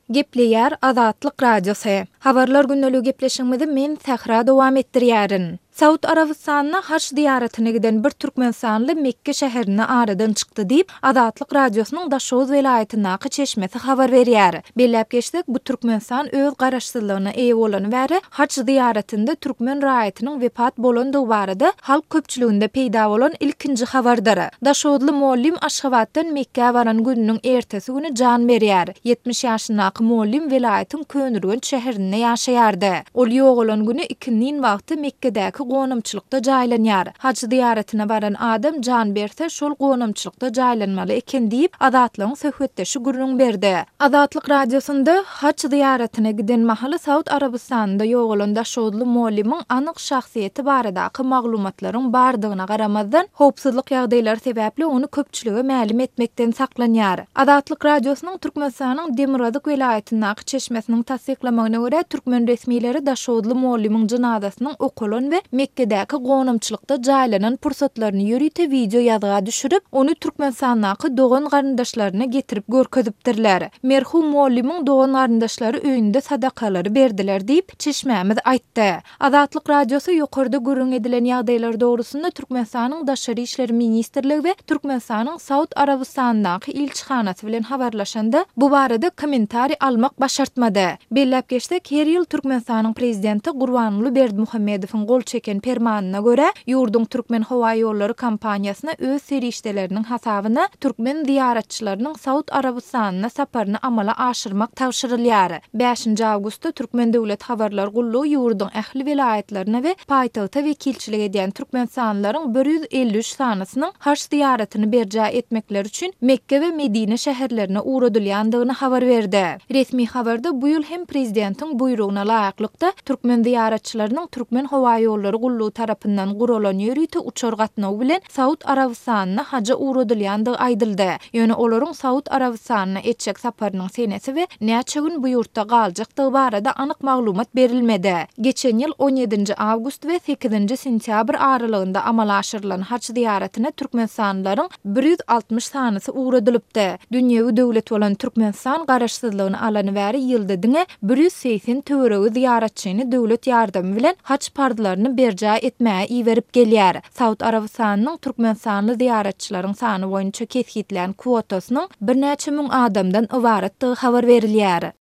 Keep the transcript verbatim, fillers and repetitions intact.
Gepleýär Azatlyk Radiosy. Habarlar gündeligi gepleşigimizi men Sähra dowam etdirýärin. Saud Arabystanyna haç zyýaratyna giden bir türkmenistanly Mekge şäherinde aradan çykdy diýip, Azatlyk Radiosynyň Daşoguz welaýatyndaky çeşmesi habar berýär. Belläp geçsek, bu Türkmenistan öz garaşsyzlygyna eýe bolany bäri haç zyýaratynda türkmen raýatynyň wepat bolandygy barada halk köpçüliginde peýda bolan ilkinji habardyr. Daşoguzly mugallym Aşgabatdan Mekgä baran gününiň ertesi güni jan berýär. Ýetmiş ýaşyndaky mugallym welaýatyň Köneürgenç şäherinde ýaşaýardy. Ol ýogalan güni ikindin wagty Mekgedäki gonamçylykda jaýlanýar. Haj zyýaratyna baran adam jan berse, şol gonamçylykda jaýlanmaly eken diýip, Azatlygyň söhbetdeşi gürrüň berdi. Azatlyk Radiosynda haj zyýaratyna giden mahaly Saud Arabystanynda ýogalan daşoguzly mugallymyň anyk şahsyýeti baradaky maglumatlaryň bardygyna garamazdan, howpsuzlyk ýagdaýlary sebäpli ony köpçülige mälim etmekden saklanýar. Azatlyk Radiosynyň Türkmenistanyň demirgazyk welaýatyndaky çeşmesiniň tassyklamagyna görä, türkmen resmileri daşoguzly mugallymyň jynazasynyň okalan we Mekgedäki gonamçylykda jaýlanan pursatlaryny ýörite wideo ýazga düşürip, ony Türkmenistandaky dogan-garyndaşlaryna getirip görkezipdirler. Merhum mugallymyň dogan-garyndaşlary öýünde sadakalary berdiler diýip, çeşmämiz aýtdy. Azatlyk Radiosy ýokarda gürrüň edilen ýagdaýlar dogrusynda Türkmenistanyň Daşary işler ministrligi we Türkmenistanyň Saud Arabystanyndaky ilçihanasy bilen habarlaşanda, bu barada kommentariý almak başartmady. Belläp geçsek, her ýyl Türkmenistanyň Prezidenti Gurbanguly Berdimuhamedowyň gol çeken permanyna görä, ýurduň Türkmenhowaýollary kompaniýasyna öz serişdeleriniň hasabyna türkmen zyýaratçylarynyň Saud Arabystanyna saparyny amala aşyrmak tabşyrylýar. Bäşinji awgustda Türkmen döwlet habarlar gullugy ýurduň ähli welaýatlaryna we paýtagta wekilçilik edýän türkmenistanlylaryň bir ýüz elli üç sanysynyň haj zyýaratyny berjaý etmekleri üçin Mekge we Medine şäherlerine ugradylýandygyny habar berdi. Resmi habarda bu ýyl hem prezidentiň buýrugyna laýyklykda, türkmen zyýaratçylarynyň Türkmenhowaýollary gullugy tarapyndan guralan ýörite uçar gatnawy bilen Saud Arabystanyna haja ugradylýandygy aýdyldy. Ýöne olaryň Saud Arabystanyna etjek saparynyň senesi we näçe gün bu ýurtda galjakdygy barada anyk maglumat berilmedi. Geçen ýyl on ýedinji awgust we sekizinji sentýabr aralygynda amala aşyrylan haj zyýaratyna türkmenistanlylaryň bir ýüz altmyş sanysy ugradylypdy. Dünýewi döwlet bolan Türkmenistan garaşsyzlygyny alany bäri ýylda diňe bir ýüz segsen töweregi zyýaratçyny döwlet ýardamy bilen haj parzlaryny berjaý etmäge iberip gelýär. Saud Arabystanynyň türkmenistanly zyýaratçylaryň sany boýunça kesgitlän kwotasynyň birnäçe müň adamdan ybaratdygy habar berilýär.